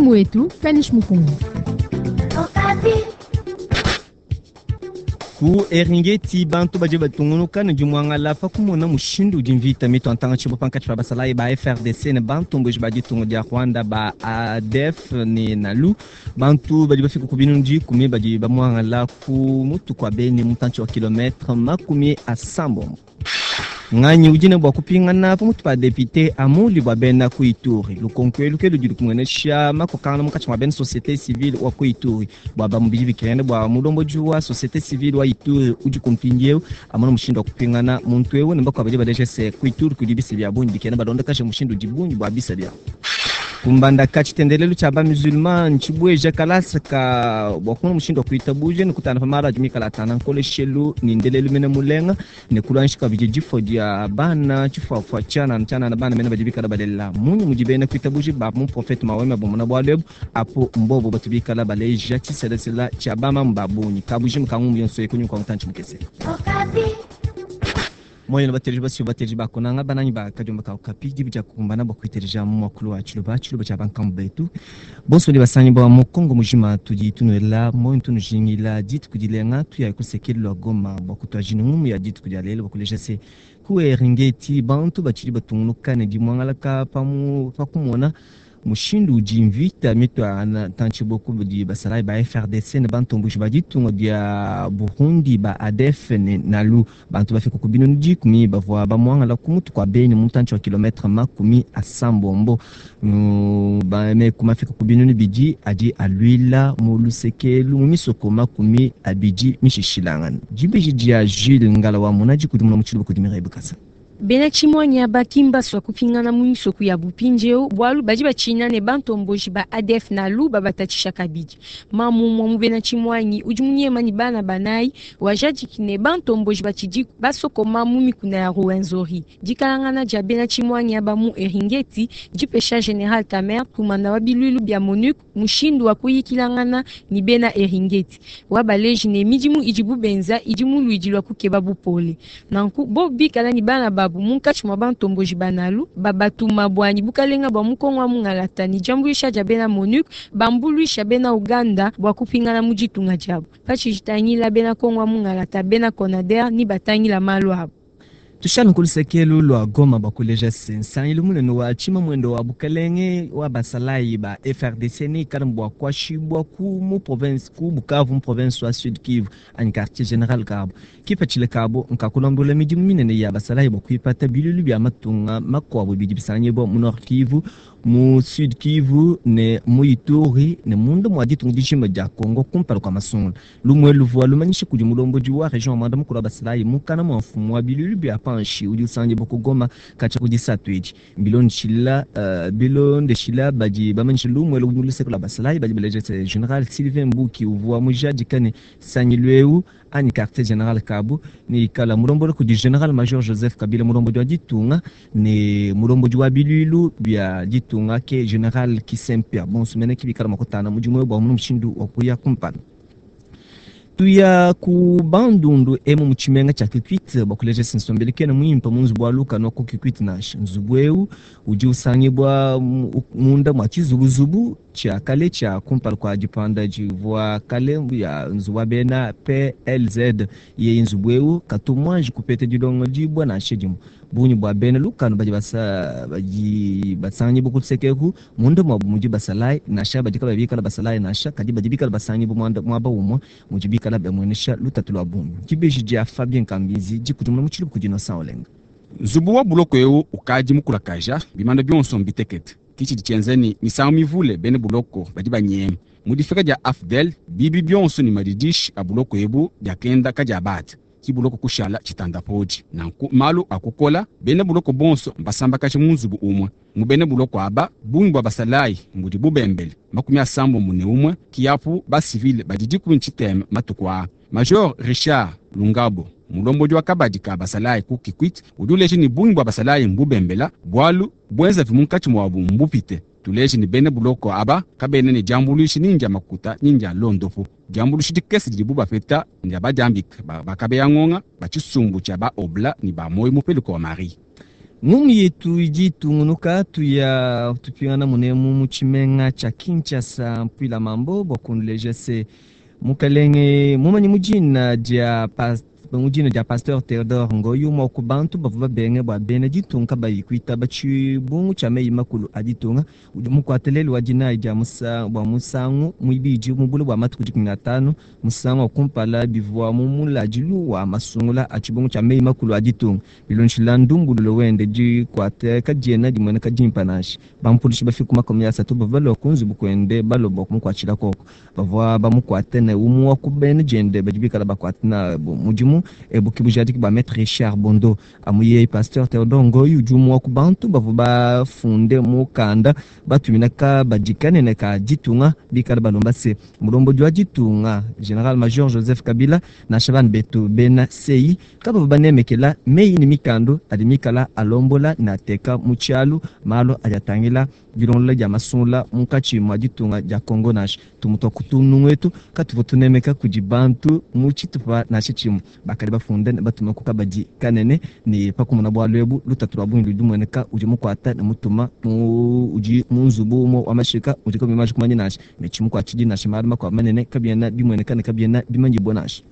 Mfumu wetu Kanish Mukongo. Ku Eringeti bantu badi batungunuka ne dimuangala pa kumona mushindu udi mvita mitua ntanga-tshibo pankatshi pa basalayi ba FRDC ne bantomboji ba ditunga dia Rwanda ba ADF ne NALU. Bantu badi bafika ku binunu dikumi badi bamuangala ku mutu kua Beni mutantshi wa kilometre 80. Nganyi udi ne bua kupingana pa mutu pa depute Amuli bua bena ku Ituri? Lukonko elu ke ludi lukumuenesha makokangana munkatshi mua bena societe civile wa ku Ituri. Bua bamue bidi bikengela bua mulombodi wa societe civile wa Ituri udi ku mpindieu amona mushindu wa kupingana muntu eu, ne bakuabu badi baleja se, ku Ituri kudi bisa bia bungi bikena balondakaje mushindu udi bungi bua bisa biabu. Ku Mbandaka, tshitendelelu tshia ba-musulman ntshibueja kalasa ka bua kumona mushindu wa kuitabuja ne kutanda pa malu adi mikale atanda nkoleshelu ne ndelelu mene mulenga ne kuluanshi kabidi difua dia bana tshifuafua tshianana tshianana bana mene badi bikala balela. Mmunyi mudi bena kuitabuja ba muprofete Maweme bamona bualu ebu? Apo mbobo batu bikala baleja tshiselasela tshia bamamu ba bungi kabujimu ka ngumu yonso eyi kunyima kua mutantshi mukese. Moyo ne bateleji basio bateleji ba kunanga banangi ba kadiomba ka Okapi dibi dia kukumbana bua kuiteleja mu muakulu wa tshiluba, tshiluba tshia bankambu betu bonso badi basangibua mu Kongo mujima. Tudi tunuela moyo tunujingila dituku dilenga. Tuyayi ku luseke lua Goma bua kutuajina ngumu ya dituku dia lelu bua kuleja se ku Eringeti bantu batshidi batungunuka ne dimuangalaka pa kumona mushindu udi mvita mitua ntantshi kudi basalayi ba FRDC ne bantomboji ba ditunga dia Burundi ba ADF ne NALU. Bantu bafika ku binunu dikumi bavua bamuangala ku mutu kua Beni mutantshi wa kilometre 80. Meku mafika ku binunu bidi adi aluila mu lusekelu mu misoko 20 mishishilangana. Dibeji dia Jules Ngala wa Mona dikudimuna mu tshiluba kudi Mireille Bukasa. Bena tshimuanyi aba ki mbasua kupingana mu misoko ya bupindieu bualu badi batshina ne bantomboji ba ADF NALU babatatshisha kabidi. Mamu umue mu bena tshimuanyi udi munyema ne bana banayi wajadiki ne bantomboji batshidi basokoma mu mikuna ya Ruwenzori. Dikalangana dia bena tshimuanyi aba mu Eringeti dipesha General Tamer kumanda wa biluilu bia MONUC mushindu wa kuyikilangana ne bena Eringeti. Wabaleji ne midimu idibu benza idi mu luidi lua kukeba bupole. Nanku bo bikala ne bana babu munkatshi mua bantomboji banalu babatuma bwanyi bukalenga bwa mukongo wa mungalata ne diambuluisha dia bena MONUC bambuluisha bena Uganda bua kupingana mu ditunga diabu. Patshijitangila bena Kongo wa mungalata bena CONADER ni batangila malu abu. Tushana ku lusekelu lua Goma bua kuleja se nsangilu munene wa tshimamwendo wa bukalenge wa basalayi ba FRDC ne ikala bua kuashibua ku mu province ku Bukavu mu province wa Sud Kivu anyi quartier general kabu. Kipatshila kabu nkakulombola midimu minene ya basalayi bua kuipata bilulu bia matunga makuabu bidi bisangibua mu Nord Kivu, mu Sud Kivu ne mu Ituri ne munda mua ditunga dijima dia Congo kumpala kua masungula. Lumue luvua lumanyisha kudi mulombodi wa region wa mwanda mukulu wa basalayi mukana mua mfumu wa bilulu bia panshi udi usangibua ku Goma katshia ku disatu edi. Bilondeshila bilondeshila badi bamanyisha lumue mu luseke lua basalayi badi baleja se General Sylvain Mbuki uvua mujadika ne sangilu eu anyi quartier general kabu ne ikala mulombola kudi General Major Joseph Kabila mulombodi wa ditunga ne mulombodi wa biluilu bia ditunga ke General Kisempia. Bonso mene ki bikala makutana mudimu bua mu mushindu wa kuya kumpala. Tuya ku Bandundu emu mu tshimenga tshia Kikwit bua kuleja se nsombelu kena muimpe mu nzubu wa lukanu ku Kikwit nansha. Nzubu eu udi usangibua munda mua tshizubuzubu tshia kale tshia kumpala kua dipanda divua kale ya nzubu wa bena PLZ. Yeye nzubu eu katu muanji kupeta dilongo dibua nansha dimue. Bungi bua bena lukanu badi badi basangibua ku luseke munda muabu mudi basalayi nansha badi kabayi bikala basalayi nansha kadi badi bikala basangibua muaba umue mudi bikala bamuenesha lutatu lua bungi. Dibeji dia Fabien Kambizi dikudimuna mu tshiluba kudi Innocent Olenga. Nzubu wa buloko eu ukadi mukulakaja bimanda bionso mbitekete. Kitshidi tshienza ni misangu mivule bena buloko badi banyema. Mu difika dia AFDL bibi bionso ne madidishi a buloko ebu diakenda kadiabata. Ki buloko kushala tshitanda podi. Nanku malu akukola bena buloko bonso mbasambakaje mu nzubu umue. Mu bena buloko aba bungi bua basalayi mbudi bubembele 81 kiapu ba civil badi dikumi tshitema matuku aa. Major Richard Lungabo mulombodi wa kabadi ka basalayi ku Kikwit udi uleja ne bungi bua basalayi mbubembela bualu buenzavi munkatshi muabu mbupite. Tuleje ne bena buloko aba kabena ne diambuluishi ni ndia makuta ni ndia londopu. Diambuluishi dikese didibu bapeta ndia badiambika bakabeya ngonga ba tshisumbu tshia ba obla ne ba moyo mupeluka wa Marie. Ngumu yetu idi itungunuka, tuya tupingana munemu mu tshimenga tshia Kinshasa mpuila mambo bua kunuleja se mukalenge mumanyi mu dina dia mu dina dia Pasteur Theodore Ngoyi, umue wa ku bantu bavua babenge bua bena ditunga kabayi kuitaba tshibungu tshia meyi makulu a ditunga, udi mukuate lelu wa dinayi dia musa, bua musangu muibidi mu bule bua matuku 15. Musangu wa kumpala bivua mu muladilu wa masungula a tshibungu tshia meyi makulu a ditunga. Bilondeshila ndumbululo wende, dikuate kadiena dimueneka dimpe nansha. Bampulushi bafika 30 bavua balua ku nzubu kuende balua bua kumukuatshila koko. Bavua bamukuate ne umue wa ku bena diende badi bikala bakuate nabu mudimu. Ebu ke bujadiki bua Maître Richard Bondo. Amu yeye Pasteur Theodore Ngoyi udi umue wa ku bantu bavua bafunde mukanda batumina kabadi kanene ka ditunga bikala balomba se mulombodi wa ditunga General Major Joseph Kabila nansha bana betu bena CI kabavua banemekela meyi ne mikando adi mikala alombola ne ateka mu tshialu malu adi atangila dilongolola dia masungula munkatshi mua ditunga dia Congo. Nansha tumue tua ku tunungu etu katuvua tunemeka kudi bantu mu tshitupa nansha tshimue. Bakadi bafunde ne batuma ku kabadi kanene ne pakumona bualu ebu lutatu lua bungi ludi lumueneka udi mukuata ne mutuma mu udi mu nzubu umue wa mashika udi kabuyi manji kumanya nansha ne tshimukuatshidi nansha malu makuabu manene kabiena bimueneka ne kabiena bimanyibua nansha.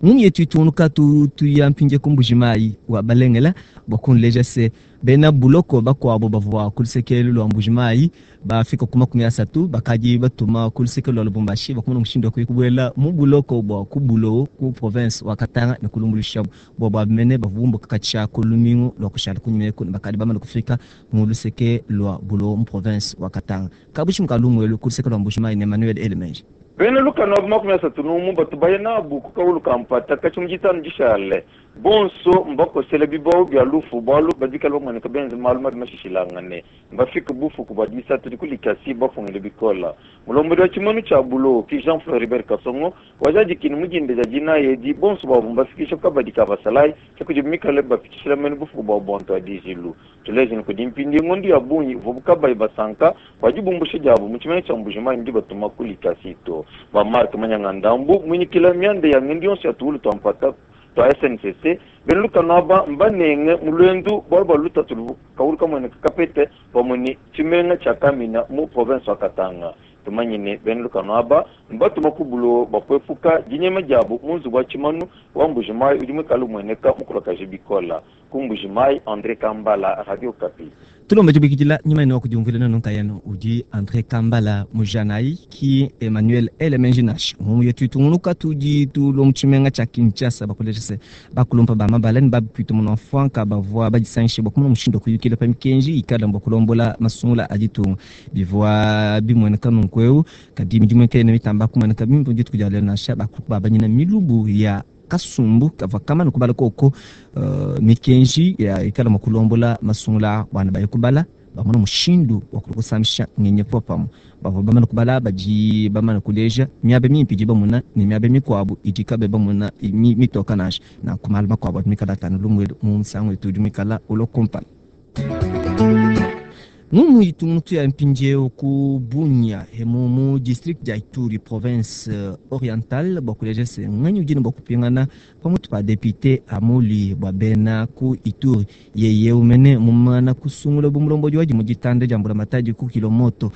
Ngumu yetu itungunuka tuya mpindie ku Mbujimayi wa Balengela bua kunuleja se bena buloko bakuabu bavua ku luseke lua Mbujimayi bafika ku 30 bakadi batuma ku luseke lua Lubumbashi bakumona mushindu wa kuya kubuela mu buloko bua ku Bulowo ku province wa Katanga ne kulumbuluishabu bua bua mene bavua bumbuka katshia ku lumingu lua kushala kunyima eku ne bakadi bamane kufika mu luseke lua Bulowo mu province wa Katanga. Kabushimu ka lumuelu ku luseke lua Mbujimayi ne Emmanuel Elemenji. Bena lukanu abu 31 batu baya nabu ku kawulu ka mpata katshia mu ditanu dishale. Bonso mbakosele bibawu bia lufu bualu badi bikale bamueneka benze malu mabi mashishilangane. Mbafike bufuku bua disatu di ku Likasi bafungile bikole. Mulombodi wa tshimanu tshia Bulowo ki Jean Floribert Kasongo wajadiki ne mu dinda dia dinayi edi bonso babu mbafikisha ku kabadi ka basalayi ke kudibu mikale bapitshishila mene bufuku buabu bua ntuadijilu. Tuleje ne kudi mpindieu ngondo ya bungi ivuabu kabayi basanka bua dibumbusha diabu mu tshimenga tshia Mbujimayi ne dibatuma ku Likasi to. Ba Marc Manyanga Ndambu muinyikila mianda ya ngendu yonso ya tuwulu tua mpata tua SNCC, bena lukanu aba mbanenge mu luendu bualu bua lutatu luvua kawulu kamueneka kapete pamue ne tshimenga tshia Kamina mu province wa Katanga. Tumanye ne, bena lukanu aba mbatuma ku bulowo bua kuepuka dinyema diabu mu nzubu wa tshimanu wa Mbujimayi udi muikale umueneka mukulakaje bikole. Ku Mbujimayi, Andre Kambala, Radio Okapi. Tulomba dibikidila nyuma ene wa kudiumvuila nenu nkayenu udi Andre Kambala mujanayi ki Emmanuel Elemenji nansha. Ngumu yetu itungunuka tudi tulua mu tshimenga tshia Kinshasa bakuleja se bakulumpa ba mabala ne bapita munua mfuanka bavua badisangishe bua kumona mushindu wa kuyukila pa mikenji ikala bua kulombola masungula a ditunga. Bivua bimueneka nunku eu kadi midimu kayena mitamba kumueneka bimpe mu dituku dia lelu nansha. Bakulu babanyina milubu ya kasumbu kavua kamane kubala koko mikenji ya ikala mua kulombola masungula bana baye kubala bamona mushindu wa kusamisha ngenyi popamue. Bavua bamane kubala badi bamane kuleja miaba mimpe idi bamona ne miaba mikuabu idi kabayi bamona mitoka nansha. Nanku malu makuabu adi mikala atanu lumuelu mu musangu wetu udi muikala ulua kumpala. Ngumu itungunuka ya mpindieu ku Bunia emu mu district dia Ituri province orientale bua kuleja se nganyi udi ne bua kupingana pamutu pa député Amuli bua bena ku Ituri. Yeye umene mumana kusungula bu mulombodi wadi mu ditanda dia mbulamatadi ku Kilomoto.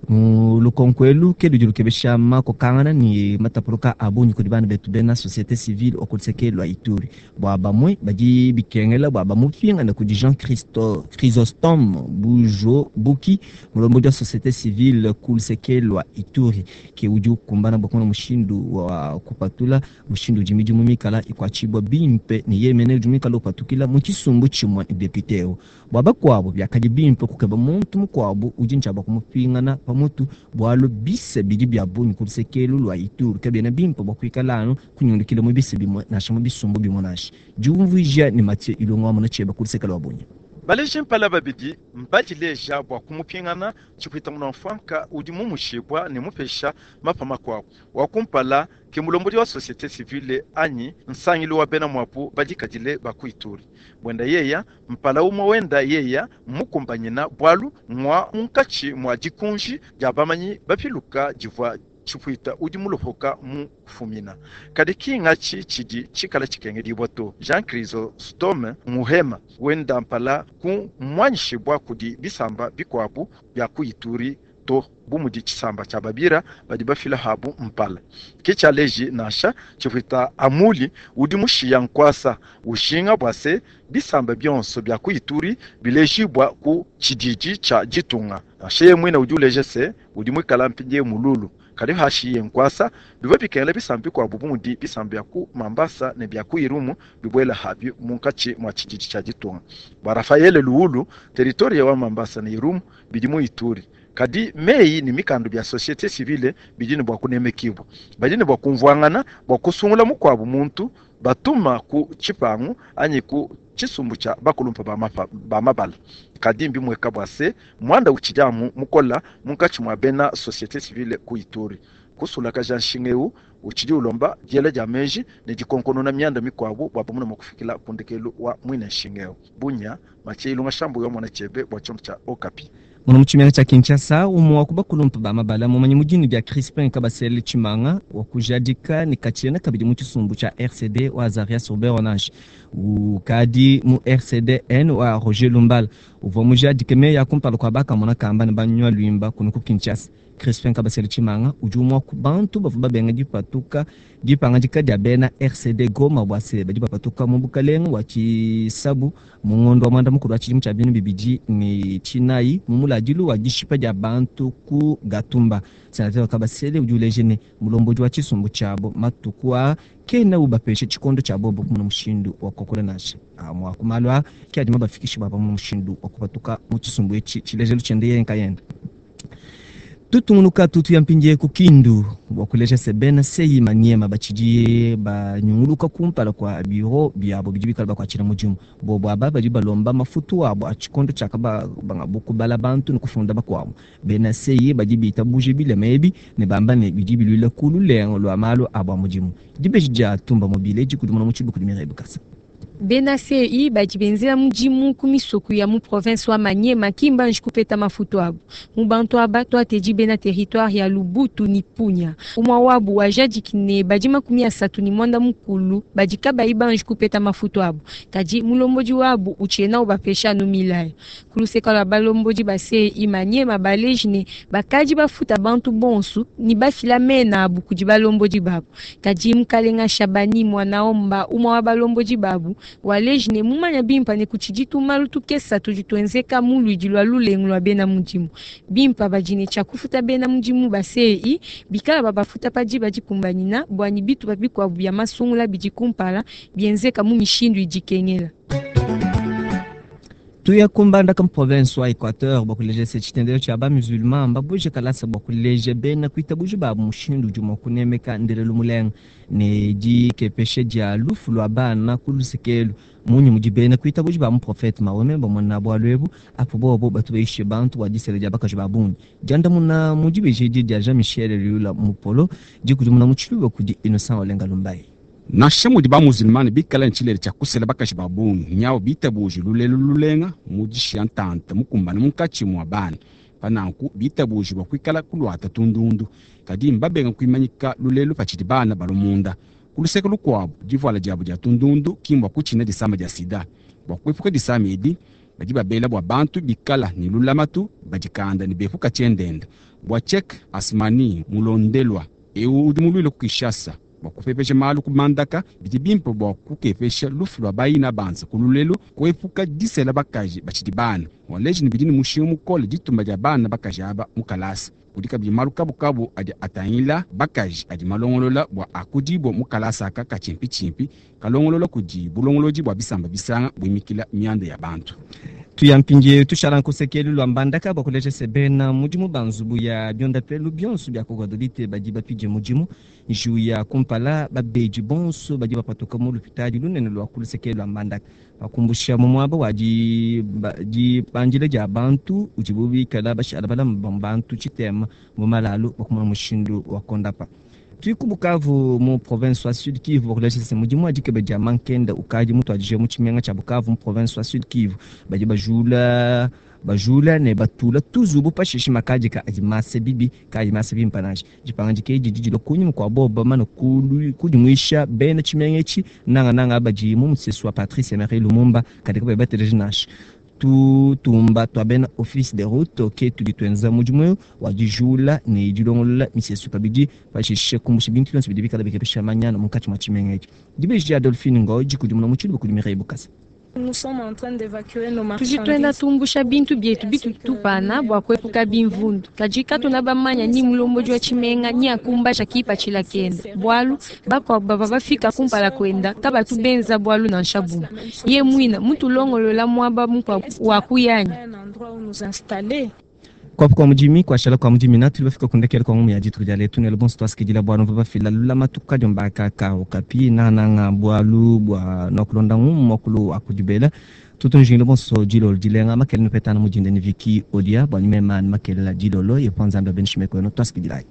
Mu lukonko elu ke ludi lukebesha makokangana ne matapuluka a bungi kudi bana betu bena société civile wa ku luseke lua Ituri. Bua bamue badi bikengela bua bamupingane kudi Jean Chrysostome Bujo Buki mulombodi wa société civile ku luseke lua Ituri ke udi ukumbana bua kumona mushindu wa kupatula mushindu udi midimu mikala ikuatshibua bimpe ne yeye mene udi muikala upatukila mu tshisumbu tshimue ne député eu. Bua bakuabu biakadi bimpe kukeba muntu mukuabu udi ntshia bua kumupingana pamutu bualu bise bidi bia bungi ku luseke lua Ituri kabiena bimpe bua kuikala anu kunyungulukila mu bise bimue nansha mu bisumbu bimue nansha. Diumvuija ne Mathieu Ilunga wa mona tshieba ku luseke lua Bunia. Baleji mpala babidi mbadileja bua kumupingana tshipwita munua mfuanka udi mumushibua ne mupesha mapa makuabu. Wa kumpala ke mulombodi wa société civile anyi nsangilu wa bena muabu badikadile ba ku Ituri. Bwenda yeya mpala umwe wenda yeya mukumbanyina bualu mwa munkatshi mwa dikunji dia bamanyi bapiluka divua Tshipuita udi mulopoka mu fumina. Kadi ki ngatshi tshidi tshikala tshikengedibua to. Jean Chrysostome Muhema wenda mpala ku muanyishibua kudi bisamba bikuabu bia ku Ituri to, bu mudi tshisamba tshia Babira badi bafila habu mpala. Ke tshialeji nansha Tshipuita Amuli udi mushiya nkuasa ujinga bua se bisamba bionso bia ku Ituri bilejibua ku tshididi tshia ditunga. Nansha yeye muine udi uleja se udi muikala mpindieu mululu. Kadi hashiye nkuasa bivua bikengela bisamba bikuabu bu mudi bisamba bia ku Mambasa ne bia ku Irumu bibuela habi munkatshi mua tshididi tshia ditunga. Bua Raphaël Luulu, territoire wa Mambasa ne Irumu bidi mu Ituri. Kadi meyi ne mikanda bia société civile bidi ne bua kunemekibua. Badi ne bua kumvuangana bua kusungula mukuabu muntu batuma ku tshipangu anyi ku tshisumbu tshia bakulumpa ba mabala. Kadi mbimweka bua se mwanda utshidi amu mukola munkatshi mua bena société civile ku Ituri. Kusulakaja nshinga eu utshidi ulomba diela dia meji ne dikonkonona mianda mikuabu bua bamuna mua kufikila ku ndekelu wa muine nshinga eu. Bunya Mathieu Ilunga Shambu yo mwana chebe bua tshiondo tshia Okapi. Muno mu tshimenga tshia Kinshasa, umue wa ku bakulumpa ba mabala mumanyi mu dinu dia Crispin Kabasele Tshimanga wa kujadika ne katshiena kabidi mu tshisumbu tshia RCD wa Azarias Ruberwa nansha. Ukadi mu RCDN wa Roger Lumbala uvua mujadike meyi a kumpala kua bakamona kamba ne banywa luimba kunu ku Kinshasa. Crispin Kabasele Tshimanga udi umue wa ku bantu bavua babenga dipatuka dipangadika dia bena RCD Goma bua se badi bapatuka mu bukalenge wa tshisabu mu ngondo wa mwanda mukulu wa tshidimu tshia 2024 mu muladilu wa dishipa dia bantu ku Gatumba. Senateur Kabasele udi uleja ne mulombodi wa tshisumbu tshiabo matuku aa kena ubapesha tshikondo tshia bobo kumona mushindu wa kuakula nansha. Amue a ku malu aa ke adi mabafikishe bua bamone mushindu wa kupatuka mu tshisumbu etshi tshilejelu tshiende yeye nkayende. Tutungunuka tutuya mpindieu ku Kindu bua kuleja se bena CI Maniema batshidi banyunguluka kumpala kua biro biabo bidi bikala bakuatshila mudimu. Bobo aba badi balomba mafutu abo a tshikondo tshiakabangabu kubala bantu ne kufunda bakuabu. Bena CI badi bitabuje bilema ebi ne bamba ne bidi biluila ku lulengu lua malu abo a mudimu. Dibeji dia Tumba Mobile dikudimuna mu tshiluba kudi Mireille Bukasa. Bena CI badi benzela mudimu ku misoko ya mu province wa Maniema ki mbanji kupeta mafutu abu. Mu bantu aba tuatedi bena territoire ya Lubutu ni Punya. Umua wabu wajadiki ne badi 31 badi kabayi banji kupeta mafutu abu. Kadi mulombodi wabu utshiena ubapesha anu milayo. Ku luseka lua balombodi ba CI Maniema baleji ne bakadi bafuta bantu bonsu ni bafila mena abu kudi balombodi babu. Kadi mukalenga Shabani Mwanaomba umua wa balombodi babu waleji ne mumanya bimpa ne kutshidi tumalu tukesa tudi tuenzeka mu luidi lua lulengu lua bena mudimu. Bimpa badi ne tshia kufuta bena mudimu ba CI bikala babafuta pa diba dikumbanyina bua ne bitupa bikuabu bia masungula bidi kumpala bienzeka mu mishindu idi ikengela. Tuya kumbandaka mu province wa Equateur bua kuleja se tshitendelo tshia ba musulman mbabuje kalasa bua kuleja bena kuitabuja babu mushindu udi mua kunemeka ndelelu mulenga ne dikepesha dia lufu lua bana ku lusekelu. Munyi mudi bena kuitabuja ba muprofete Mahomet bamona bualu ebu apo bobo batu bayishe bantu bua disela dia bakaji ba bungi. Diandamuna mu dibeji edi dia Jean-Michel Luyula Mupolo dikudimuna mu tshiluba kudi Innocent Olenga Lumbayi. Nansha mudi ba-musulmane bikale ne tshilele tshia kusela bakaji ba bungi, nyawu bitabuje lulelu lulenga mu dishiya ntanta mukumbane munkatshi mua bana. Pa nanku bitabuje bua kuikala kuluata tundundu, kadi mbabenga kuimanyika lulelu patshidi bana balua munda. Ku luseke lukuabu, divuala diabu dia tundundu ki mbua kutshina disama dia sida. Bua kuepuka disama edi, badi babela bua bantu bikala ne lulamatu, badikanda ne bepuka tshiendenda. Bua Cheikh Asmani Mulondelwa, eu udi muluile ku Kinshasa bua kupepeja malu ku mandaka, bidi bimpe bua kukepesha lufu lua bayina banza ku lulelu, kuepuka disela bakaji batshidi bana. Waleji ne bidi ne mushinga mukole dituma dia bana bakaji aba mu kalasa. Kudi kabidi malu kabukabu adi atangila bakaji adi malongolola bua akudibua mu kalasa aka ka tshimpitshimpi kalongolola kudi bulongolodi bua bisamba bisanga buimikila mianda ya bantu. Tuya mpindieu tushala nkusekelu lua mbandaka bua kuleja se bena mudimu ba nzubu ya biondapelu bionso bia ku Gbadolite badi bapidie mudimu. Njiwu ya kumpala, babedi bonso badi bapatuka mu lupitadi lunene lua ku luseke lua mbandaka bakumbusha mu muaba wa dipandila dia bantu udibu bikala bashala balama bantu tshitema mu malalu bua kumona mushindu wa kondapa. Tudi ku Bukavu mu province wa Sud Kivu bua kuleja se mudimu wa dikeba dia mankenda ukadi mutuadije mu tshimenga tshia Bukavu mu province wa Sud Kivu. Badi bajula Bajula ne batula tuzubu pashishe makadika adi masa bibi kaayi masa bimpe nansha. Dipangadika edi didi dilua kunyima kua bobu bamane kudimuisha bena tshimenga etshi, nangananga badi mu musesu wa Patrice Emery Lumumba, kadi kabayi bateleja nansha. Tutumba tua bena Office de route ke tudi tuenza mudimu eu wa dijula ne dilongolola misesu kabidi, pashishe kumbusha bintu bionso bidi bikale bikebesha manyanu munkatshi mua tshimenga etshi. Dibeji dia Adolphine Ngoy dikudimuna mu tshiluba kudi Mireille Bukasa. Tudi tuenda tumbusha bintu bietu bitutu tupana bua kuepuka bimvundu, kadi katuena bamanya ni mulombodi wa tshimenga ni akumbaja kipatshila kende, bualu bakuabu bavua bafika kumpala kuenda kabatu benza bualu nansha bumue. Ye muina mutulongolola muaba mukuabu wa kuya anyi? Kuapu kua mudimi kuashala kua mudimi na tudi bafika ku ndekelu kua ngumu ya dituku dia letu nelu bonso tuasikidila bualu mvua bafila lulamatu kadiomba aka ka okapi nangananga bualu bua nuakulonda ngumu muakulu wa kudibela. Tutu njingila bonso dilolo dilenga makelela nupetana mu dinda ne Vicky Odia bua mema ne makelela dilolo yehowa Nzambi abeneshe meku enu tuasikidilayi.